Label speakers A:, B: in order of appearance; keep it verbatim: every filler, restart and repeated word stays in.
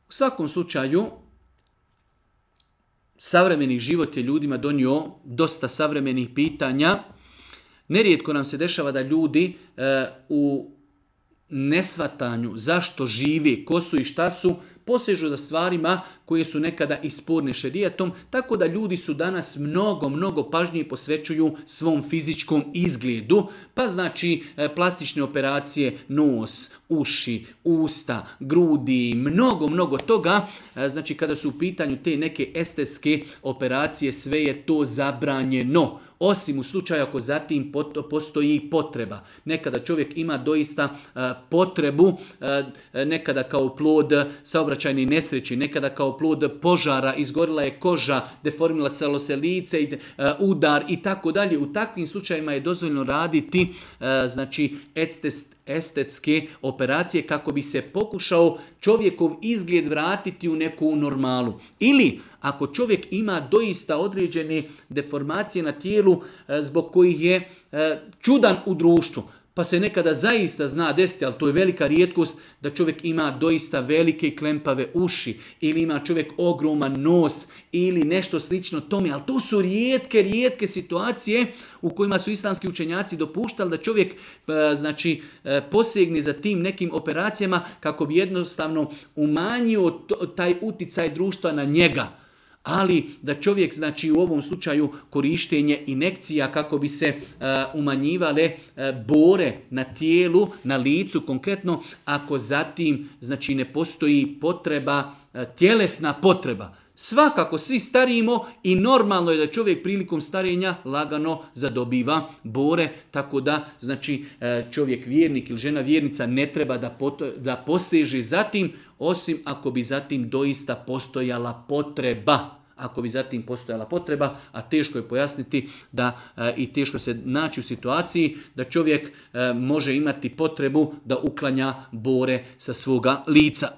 A: U svakom slučaju, savremeni život je ljudima donio dosta savremenih pitanja. Nerijetko nam se dešava da ljudi e, u nesvatanju zašto žive, ko su i šta su, posežu za stvarima koje su nekada i sporne šerijatom, tako da ljudi su danas mnogo, mnogo pažnje posvećuju svom fizičkom izgledu, pa znači plastične operacije, nos, uši, usta, grudi, mnogo, mnogo toga. Znači kada su u pitanju te neke estetske operacije, sve je to zabranjeno. Osim u slučaju ako zatim postoji potreba. Nekada čovjek ima doista potrebu, nekada kao plod saobraćajne nesreći, nekada kao plod požara, izgorila je koža, deformiralo se lice, udar i tako dalje. U takvim slučajima je dozvoljeno raditi znači estetske operacije kako bi se pokušao čovjekov izgled vratiti u neku normalu. Ili ako čovjek ima doista određene deformacije na tijelu zbog kojih je čudan u društvu, pa se nekada zaista zna desiti, ali to je velika rijetkost, da čovjek ima doista velike i klempave uši, ili ima čovjek ogroman nos, ili nešto slično tome, ali to su rijetke, rijetke situacije u kojima su islamski učenjaci dopuštali da čovjek znači, posegne za tim nekim operacijama kako bi jednostavno umanjio taj uticaj društva na njega. Ali da čovjek, znači u ovom slučaju korištenje injekcija kako bi se uh, umanjivale uh, bore na tijelu, na licu konkretno, ako zatim znači ne postoji potreba, uh, tjelesna potreba. Svakako svi starimo i normalno je da čovjek prilikom starenja lagano zadobiva bore, tako da znači čovjek vjernik ili žena vjernica ne treba da, pot- da poseže zatim, osim ako bi zatim doista postojala potreba. Ako bi zatim postojala potreba, a teško je pojasniti da e, i teško se naći u situaciji da čovjek e, može imati potrebu da uklanja bore sa svoga lica.